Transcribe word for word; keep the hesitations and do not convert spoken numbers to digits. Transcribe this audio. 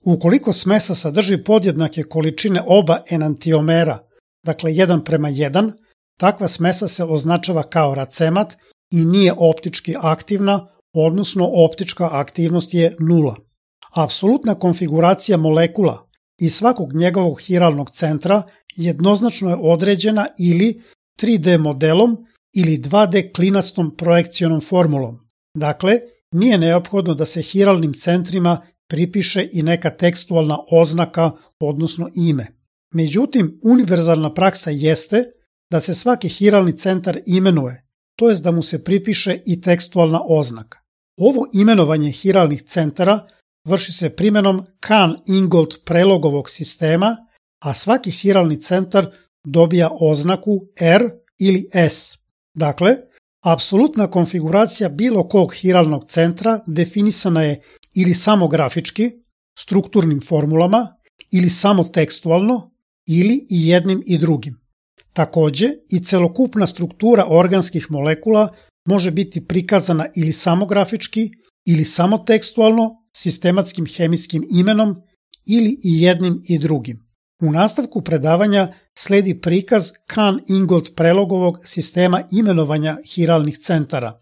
Ukoliko smesa sadrži podjednake količine oba enantiomera, dakle jedan prema jedan, takva smesa se označava kao racemat i nije optički aktivna, odnosno optička aktivnost je nula. Apsolutna konfiguracija molekula i svakog njegovog hiralnog centra jednoznačno je određena ili tri D modelom ili dva D klinastom projekcionom formulom. Dakle, nije neophodno da se hiralnim centrima pripiše i neka tekstualna oznaka, odnosno ime. Međutim, univerzalna praksa jeste da se svaki hiralni centar imenuje, to jest da mu se pripiše i tekstualna oznaka. Ovo imenovanje hiralnih centara vrši se primenom Kahn-Ingold prelogovog sistema, a svaki hiralni centar dobija oznaku R ili S. Dakle, apsolutna konfiguracija bilo kog hiralnog centra definisana je ili samo grafički, strukturnim formulama, ili samo tekstualno, ili i jednim i drugim. Takođe, i celokupna struktura organskih molekula može biti prikazana ili samo grafički, ili samo tekstualno, sistematskim hemijskim imenom, ili i jednim i drugim. U nastavku predavanja sledi prikaz Kahn-Ingold prelogovog sistema imenovanja hiralnih centara.